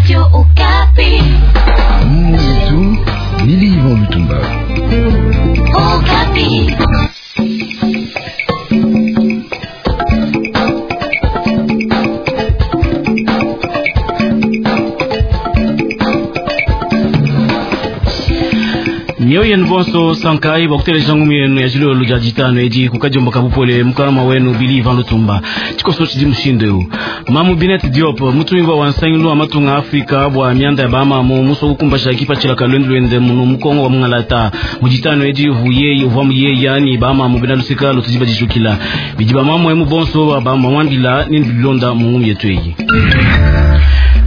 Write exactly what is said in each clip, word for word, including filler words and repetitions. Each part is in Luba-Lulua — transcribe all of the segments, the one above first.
Radio Okapi. Mwetu Lili Ivan Lutumba. Okapi. Mioyo yenu bonso sankai bakuteleja ngumu yenu ya jilolo lya jitano edi kukajomba kabupole mukalama wenu Bili Ivan Lutumba chikoso chidi mushindo eu mamu Binet Diop mutumibwa wa nsangilu wa matunga Afrika bwa mianda ya bamamu muso kukumbasha kipa chilaka lwendu lwende munu mukongo wa mungalata mujitano edi huye uvwa muye yani bamamu bena lusika lutujiba jishukila bidi bamamu emu bonso wa bamamwambila nini bilonda mu ngumu yetu eyi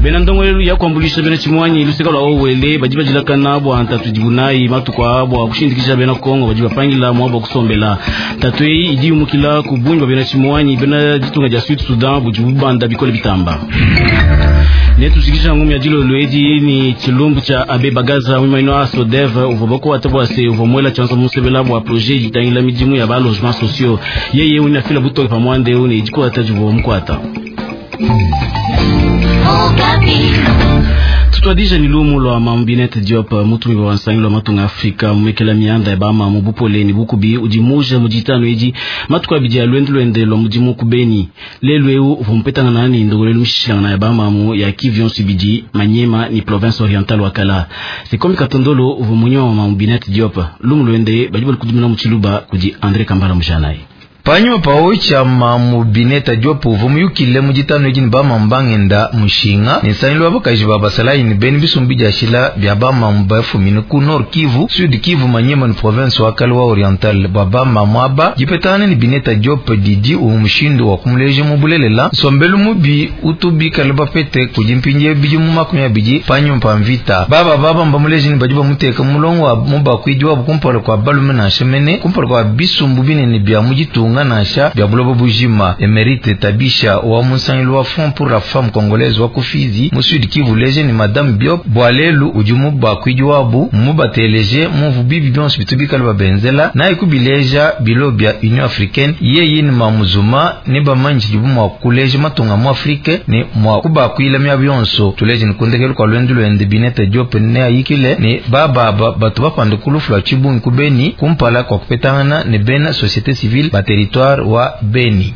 bena ndongolelu ya kuambulisha bena chimwanyi lusika lwa owele badi badilakana bwa ntatu dibunayi matuku bwa kushindikisha bena Kongo badi bapangila mwabo kusombela tatu eyi idi yumukila ku bungi bwa bena chimwanyi bena ditunga dia Sud Sudan budi bubanda bikole bitamba netushikisha ngumi ya dilolo edi ni chilumbu cha abe bagaza mwimaino a sodev uvua bakuata bwa se uvua mwela chanzo musebela bwa projet ditangila midimu ya ba logement sociaux yeye unafila butoke pamwande une idikuata juvua mukwata tutwadija ni lumu lwa Mambinet Diop mutumi wa nsangi lwa matunga Afrika mumekela mianda ya bama mubupole ni bukubi udi muja mujitano edi matuku abidi ya lwendu lwende lwa mudimu kubeni lelu eu uvua mupetangana nani ndongolelu mishishilangana ya bamamu ya Kivu yonso ibidi Manyema ni province orientale wakala sekomi Katondolo uvua munywa wa Mambinet Diop lumu lwende badi balikudumina mu Tshiluba kudi Andre Kambala mujanayi panyuma pawo chama mu Bineta Diop uvua muyukile mu ditano edi ne bamamu bangenda mushinga ne nsangilu wa bakaji ba basalayi ne beni bisumbu bidiashila bia bamamu bafumine ku Nord Kivu, Sud Kivu, Manyema ne province wa kale wa Oriental bua bamamu aba dipetangana ne Bineta Diop didi umu mushindu wa kumuleja mu bulelela nsombelu mubi utu bikale bapete kudi mpindie bidi mu makumi abidi panyuma pa mvita baba baba mbamuleja ne badi bamuteka mulongo wa mubakuidi wabu kumpala kua balume nansha mene kumpala kua bisumbu binene bia mu ditunga nansha bya buloba bujima. Emerite Tabisha wa munsangilu wa Front pour la Femme Congolaise wa kufizi mu Sud Kivu leje ni Madame Diop bwalelu udi mubakuidi wabu mubateleje muvu bibi bionso bitu bikale babenzela naye kubileja bilo bya Union Africaine yeye ni mamuzuma ne bamanji dibu mwa kuleja matunga mu Afrique ne mwa kubakuila mya bionso tuleje ni kundekelu kwa lwendu lwende Bineta Diop ne ayikile ne bababa batu bapande kulufu lwa chibungi kubeni kumpala kwa kupetangana ne bena société civile ba territoire wa Beni.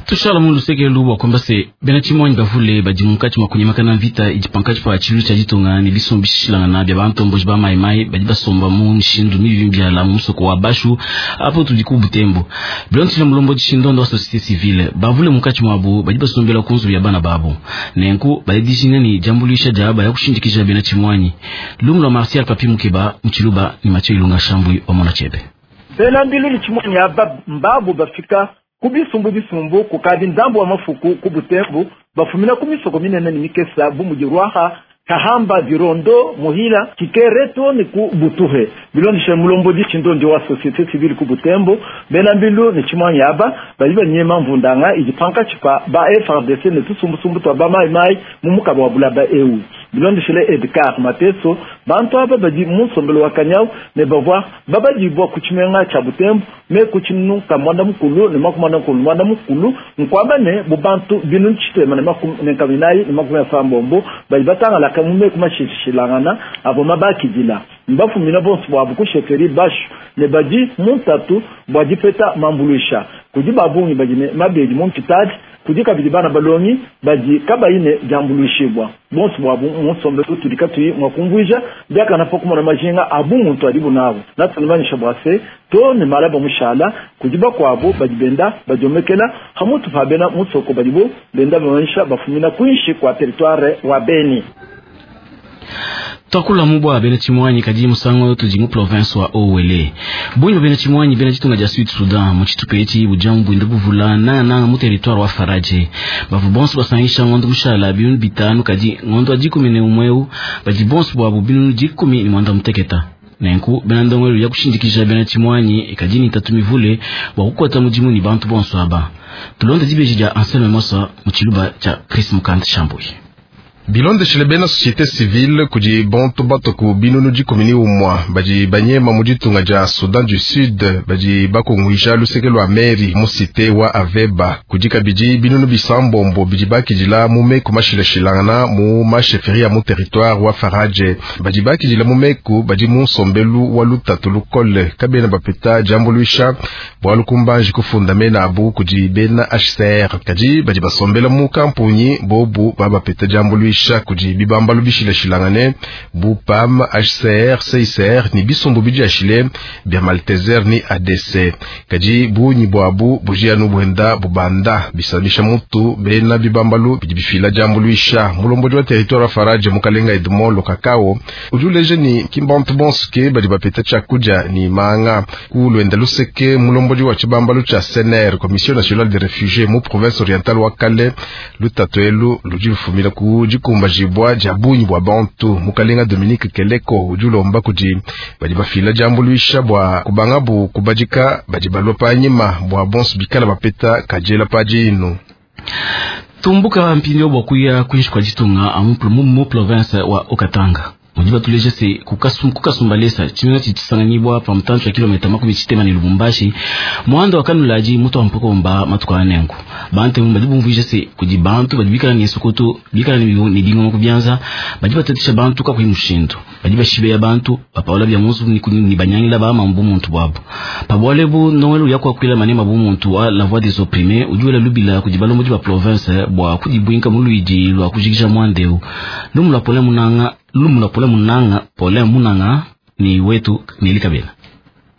Tushala mu luseke lubwa kwamba se bena chimwanyi bavule badi munkatshi mwa kunyemakana mvita idi pankatshi pa tshilu tshia ditunga ne bisumbu bishilangana bia bantomboji ba maimai badi basomba mu mishindu mibi biala mu musoko wa Bashu apo tudi ku Butembo bilontsila mulombo dishindondo wa société civile bavule munkatshi mwabu badi basombela ku nzubu ya bana babo nenku badi dijinga ni jambulisha dia baya kushindikisha bena chimwanyi lumu lwa Martial Papi Mukeba Muchiluba ni Mathieu Ilunga Shambui wa Mona Chebe bena mbilu ni chimwanyi aba mbabu bafika kubisumbu bisumbu kukadi nzambu wa mafuku kubutembu bafumina kumisoko minene ni mikesa bumuji rwaha kahamba virondo muhila kikereto ni ku butuhe bilondishe mulombo di chindondi wa société civile ku butembo bena mbilu ni chimwanyi aba bali banyema mvundanga ijipanka chipa ba F R D C ne tusumbusumbu twa ba mai mai mumukaba wa bulaba eu bilondishele Edgar Mateso bantu aba badi musombelo wa kanyau ne bavwa babadibwa kuchimenga cha butembo me kuchinuka mwanda mukulu ne makumanda mukulu mwanda mukulu nkwamba ne bubantu binu nchitema ne makum ne kaminayi ne makumi asambombo bali batanga la kamume kumashishilangana abo mabakidila mbafumina bonso bwabu kusheferi bashu ne badi muntatu bwa dipeta mambulusha kudi babungi badi ne mabedi mumpitadi kudi kabidi bana balongi badi kabayine jambulushibwa bonso bwabu musombelo tudi katuyi mwakumvuija byakana po kumona majinga abu muntu ali bunabo natunimanyisha bwase to ne malaba mushala kudi bakwabo badi benda badiomekela hamutu pa bena musoko badibo benda bamanyisha bafumina kwinshi kwa territoire wa Beni. Twakula mubwa bena chimwanyi kadi musango tudi mu province wa Owele bunyi bena chimwanyi bena chitunga ja Sud Sudan mu chitupa echi bujamu bwinda buvula na na mu territoire wa Faraje bavu bonso basangisha ngondo mushala binu bitanu kadi ngondo adikumi ne umweu badi bonso bwabu binu dikumi ni mwanda muteketa nenku bena ndongolelu ya kushindikisha bena chimwanyi ekadini tatu mivule bwa kukwata mudimu ni bantu bonso aba tulonde dibeji dia Anselme Mosa mu chiluba cha Chris Mukanda Shambui. Bilondeshile bena société civile kudi bantu batoku binunu dikumi ni umwa badi banyema mu ditunga dia Soudan du Sud badi bakunguija luseke lwa meri mu cité wa Aveba. Kudi kabidi binunu bisambombo bidi bakidila mu meku mashilashilangana mu masheferi ya mu territoire wa Faradje. Badi bakidila mu meku badi mu nsombelu wa lutatu lukole kabena bapeta diambuluisha bwalu kumbanji kufunda mena abu kudi bena H C R. Kadi badi basombela mu kampunyi bobu babapeta diambuluisha kudi bibambalu bishilashilangane bu P A M, H C R, C I C R ni bisumbu bidiashile bya Malteser ni A D C. Kadi bunyi bwabu bujianu buenda bubanda bisabisha mutu bena bibambalu bidi bifila diambuluisha. Mulombodi wa territoire wa Faradje mukalenga Edmond Lokakao ujuleje ni kimbantu bonsuke badi bapeta chakuja ni manga ku lwenda luseke. Mulombodi wa chibambalu cha C N R, Commission Nationale des Réfugiés mu province orientale wa Kale lutatu elu ludi lufumila ku dikumbajibwa dia bunyi bwa bantu. Mukalenga Dominique Keleko udi ulomba kudi badi bafila diambuluisha bua kubangabu kubadika badi balua panyima bua bonso bikala bapeta kajela padinu. Tumbuka mpindio bua kuya kuinshi kwa ditunga amu mu province wa Okatanga. Mudi batuleje se kukasumbalesa chimena chichisanganyibwa pa mtancho ya kilomita makumi chitema ni Lubumbashi mwando wa kanulaji mutu wa mpokomba matuka anengu bante mu badi bumvuje se kudi bantu badi bikala ni sokoto bikala ni ni bingoma kubyanza badi batatisha bantu ka kuimushindo badi bashibe ya bantu bapaola bya munzu ni ni banyangila ba mambu muntu bwabo pabwale bu nowelu yakwa kwila manema bu muntu wa la voix des opprimés ujuela lubila kudi balomo ba province bwa kudibwinka mu luidi lwa kujikisha mwandeu lumula pole munanga lumula pole munanga pole munanga ni wetu ni likabela.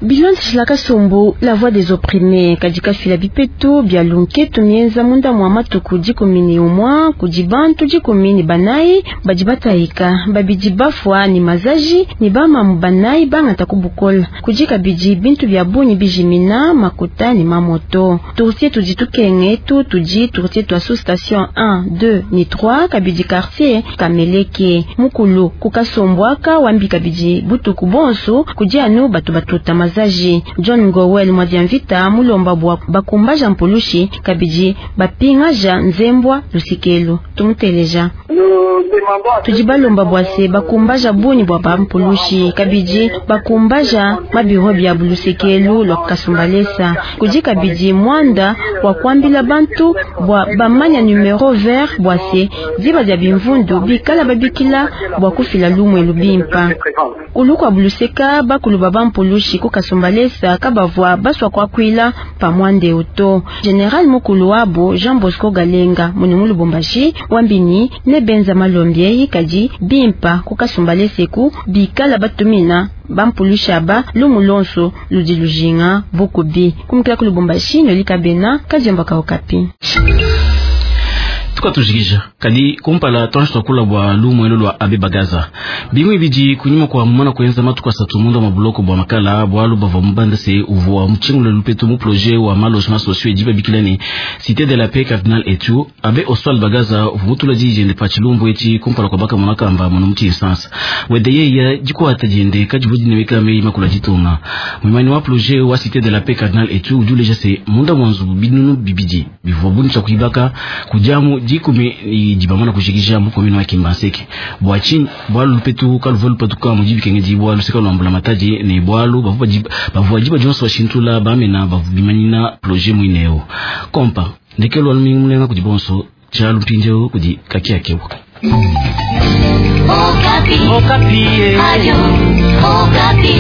Bilondeshila kasumbu la voix des opprimés kadika fila bipeto bya lunketu mienza munda mwa matuku dikumi ni umwa kudi bantu dikumi ni banayi badi batayika babidi bafwa ni mazaji ni bamamu banayi bangata kubukola kudi kabidi bintu bya bunyi bijimina makuta ni mamoto tourtier tudi tukenge tu tudi tourtier twa sous station un deux ni trois kabidi quartier kameleke mukulu kukasombwaka wambi kabidi butuku bonso kudi anu batu batuta mazaji John Ngowel mwadiamvita mulomba bwa bakumbaja mpulushi kabidi bapingaja nzembwa lusikelu tumuteleja tudi balomba bwase bakumbaja bunyi bwa bampulushi kabidi bakumbaja mabiro bya bulusekelu lwa kasumbalesa kudi kabidi mwanda wa kwambila bantu bwa bamanya numero vert bwase diba dia bimvundu bikala babikila bwa kufila lumwe lubimpa kulukwa buluseka bakulu bampulushi kukasumbalesa kabavwa baswa kwa kwila pamwande uto General mukulu wabo Jean Bosco Galenga munu Lubumbashi wambini ne benza malombie kadi bimpa kukasumbalesa ku bikala batumina bampulusha ba lumulonso ludi lujinga bukubi kumkila ku Lubumbashi nolikabena kadiomba kaokapi. Tukatujikisha kadi kumpala twanshi twakula bwa lumwelo lwa abe bagaza bimwe bidi kunyuma kwa mwana kuenza matuku asatu munda mabuloko bwa makala bwalu bava mubanda se uvua mchingule lupetu mu projet wa malogement sociaux ediba bikilani Cité de la Paix Cardinal etu abe Oswald Bagaza uvumutula jijende pa chilumbu eti kumpala kwa baka mwanakamba mwana muchi instance wedeye ya jikuata jende kajibudi neweka mei makula jitunga mwimani wa projet wa Cité de la Paix Cardinal etu ujuleja se munda mwanzu binunu bibidi bivua buncha kuibaka kujamu dikumi dibamana kushikisha mukomino wa Kimbanseke bwa chini bwalu lupetu kaluva lupetu ka mujibi kenge di bwalu seka lwambula mataji ne bwalu bavuba bavuba jiba jonso washintula bamena bavubimanina projet mwineo kompa ndekelo almingi kudi bonso chalu mpinjeo kudi kakia kewa. Okapi. Okapi. Ayo, Okapi.